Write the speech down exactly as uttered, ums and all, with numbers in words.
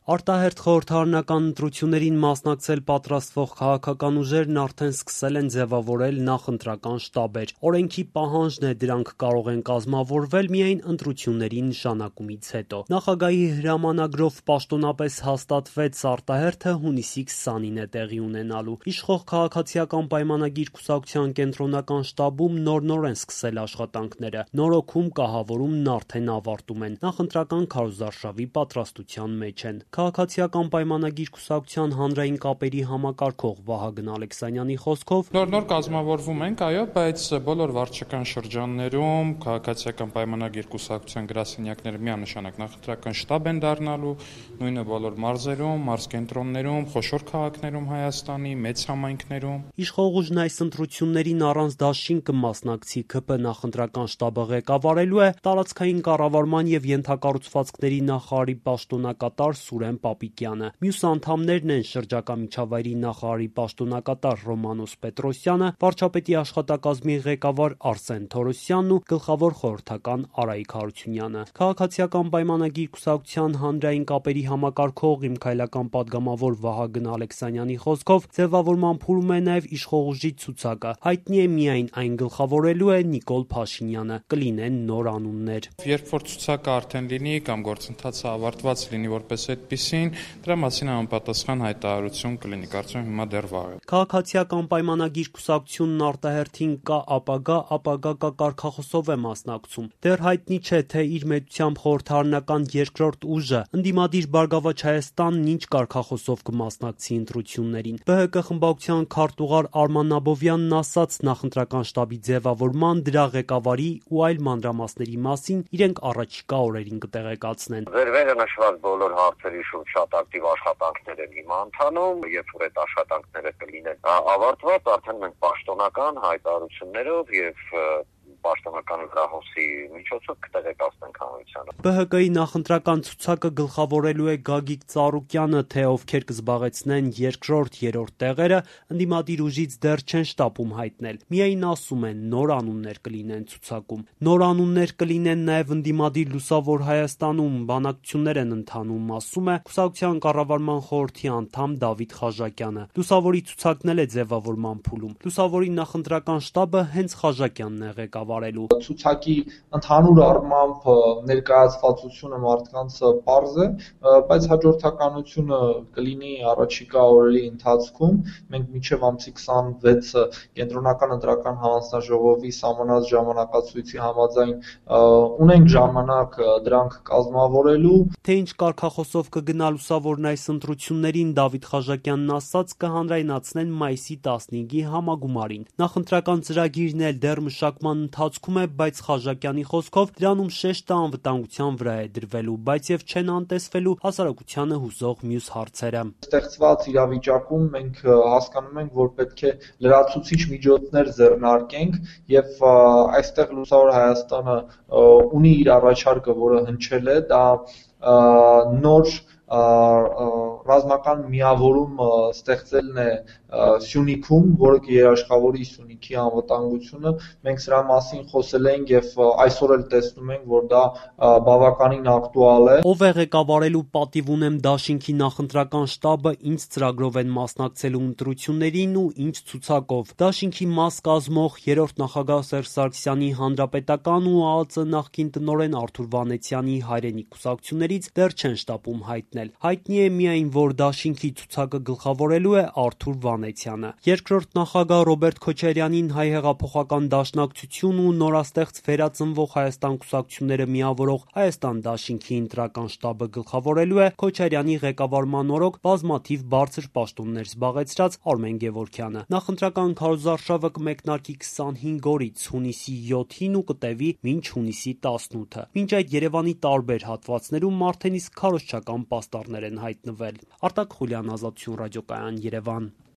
Արտահերթ խորհրդարանական ընտրություններին մասնակցել պատրաստվող քաղաքական ուժերն արդեն սկսել են ձևավորել նախընտրական շտաբեր։ Օրենքի պահանջն է դրանք կարող են կազմավորվել միայն ընտրությունների նշանակումից հետո։ Նախագահի հրամանագրով պաշտոնապես հաստատվեց արտահերթը հունիսի քսանին է տեղի ունենալու։ Իշխող քաղաքացիական պայմանագիր կուսակցության կենտրոնական շտաբում նոր-նոր են սկսել աշխատանքները։ Նորոգում, կահավորումն արդեն ավարտում են։ Նախընտրական քարոզարշավի պատրաստության մեջ են։ Քաղաքացիական պայմանագիր կուսակցության հանրային կապերի համակարգող Վահագն Ալեքսանյանի խոսքով նոր-նոր կազմավորվում ենք, այո, բայց բոլոր վարչական շրջաններում քաղաքացիական պայմանագիր կուսակցության գրասենյակները միանշանակ նախընտրական շտաբ են դառնալու, նույնը բոլոր մարզերում, մարզկենտրոններում, խոշոր քաղաքներում Հայաստանի, մեծ համայնքներում։ Իշխող ուժն այս ընտրություններին առանց դաշին կմասնակցի ՔՓ նախընտրական շտաբը ղեկավարելու է տարածքային կառավարման եւ ենթակառուցվածքների նախարարի պաշտոնակատար Սուրեն Պապիկյանը։ Մյուս անդամներն են շրջակա միջավայրի նախարարի պաշտոնակատար Ռոմանոս Պետրոսյանը, վարչապետի աշխատակազմի ղեկավար Արսեն Թորոսյանն ու գլխավոր խորհրդական Արայիկ Հարությունյանը։ Քաղաքացիական պայմանագիր կուսակցության հանրային կապերի համակարգող իմ քայլական падգամավոր Վահագն Ալեքսանյանի խոսքով ձևավորման փուլում է նաև իշխող ուժի ցուցակը։ Հայտնի է միայն այն գլխավորելու է Նիկոլ Փաշինյանը։ Կլինեն նոր անուններ։ Երբ որ ցուցակը արդեն լինի կամ գործընթացը ավարտված լինի որպես այդպիսին, դրա մասին անպատասխան հայտարարություն կլինի, կարծում եմ հիմա դեռ վաղ է։ Քաղաքացիական պայմանագիր կուսակցությունն արտահերթին կա ապագա, ապագա կա կարգախոսով է մասնակցում։ Դեռ հայտնի չէ, թե իր մեծությամբ խորհրդարանական երկրորդ ուժը ընդդիմադիր Բարգավաճ Հայաստանն ինչ կարգախոսով կմասնակցի ընտրություններին։ ԲՀԿ խմբակցության քարտուղար Արման Աբովյանն ասաց նախընտրական շտաբի ձևավորման, դրա ղեկավարի ու այլ մանրամասների մասին իրենք առաջիկա օրերին կտեղեկացնեն։ Վերվերը նշված բոլոր հարցերի շուրջ շատ ակտիվ աշխատանքներ են հիմա ընթանում, երբ որ այդ աշխատանքները կլինեն ավարտված, արդեն մենք պաշտոնական հայտարարություններով եւ պաշտոնական հրահոսի միջոցով կտեղեկացնենք հանրությանը։ ԲՀԿ-ի նախընտրական ցուցակը գլխավորելու է Գագիկ Ծառուկյանը, թե ովքեր կզբաղեցնեն երկրորդ, երրորդ տեղերը, ընդդիմադիր ուժից դեռ չեն շտապում հայտնել։ Միայն ասում են նոր անուններ կլինեն ցուցակում։ Նոր անուններ կլինեն նաև ընդդիմադիր Լուսավոր Հայաստանում, բանակցություններ են ընթանում, ասում է կուսակցության կառավարման խորհրդի անդամ Դավիթ Խաժակյանը։ Լուսավորի ցուցակն էլ է ձևավորման փուլում։ Լուսավորի նախընտրական շտաբը հենց Խաժակյանն է ղեկավարելու։ Ցուցակի ընդհանուր առմամբ ներկայացվածությունը մարդկանց պարզ է, բայց հաջորդականությունը կլինի առաջիկա օրերի ընթացքում։ Մենք մինչև ամսի քսանվեցը կենտրոնական ընտրական հանձնաժողովի սահմանած ժամանակացույցի համաձայն ունենք ժամանակ դրանք կազմավորելու։ Թե ինչ կարգախոսով կգնա Լուսավորն այս ընտրություններին, Դավիթ Խաժակյանն ասաց, կհանրայնացնեն մայիսի տասնհինգի համագումարին։ Նախընտրական ծրագիրն էլ դեռ մշակման ընթացքում է, բայց Խաժակյանի խոսքով դրանում շեշտը անվտանգության վրա է դրվելու, բայց եւ չեն անտեսվելու հասարակությանը հուզող մյուս հարցերը։ Ստեղծված իրավիճակում մենք հասկանում ենք, որ պետք է լրացուցիչ միջոցներ ձեռնարկենք եւ այստեղ Լուսավոր Հայաստանը ունի իր առաջարկը, որը հնչել է, դա նոր ռազմական միավորում ստեղծելն է Սյունիքում, որը կերաշխավորի Սյունիքի անվտանգությունը։ Մենք սրա մասին խոսել ենք եւ այսօր էլ տեսնում ենք, որ դա բավականին ակտուալ է։ Ով է ղեկավարելու պատիվ ունեմ դաշինքի նախընտրական շտաբը, ինչ ծրագրով են մասնակցելու ընտրություններին ու ինչ ցուցակով։ Դաշինքի մաս կազմող երրորդ նախագահ Սերժ Սարգսյանի հանրապետական ու ԱԱԾ նախկին տնօրեն Արթուր Վանեցյանի հայրենիք կուսակցություններից դեռ չեն շտապում հայտնել։ Հայտնի է միայն, որ դաշինքի ցուցակը գլխավորելու է Արթուր Վանեցյանը։ Երկրորդ նախագահ Ռոբերտ Քոչարյանին Հայ հեղափոխական դաշնակցություն ու նորաստեղծ Վերածնվող Հայաստան կուսակցությունները միավորող Հայաստան դաշինքի ընտրական շտաբը գլխավորելու է Քոչարյանի ղեկավարման օրոք բազմաթիվ բարձր պաշտոններ զբաղեցրած Արմեն Գևորգյանը։ Նախընտրական քարոզարշավը կմեկնարկի քսանհինգ օրից հունիսի յոթին ու կտևի մինչ հունիսի տասնութը։ Մինչ այդ Երևանի տարբեր հատվածներում արդեն իսկ քարոզչական պաստառներ են հայտնվել։ Արտակ Խուլյան, Ազատություն ռադիոկայան, Երևան։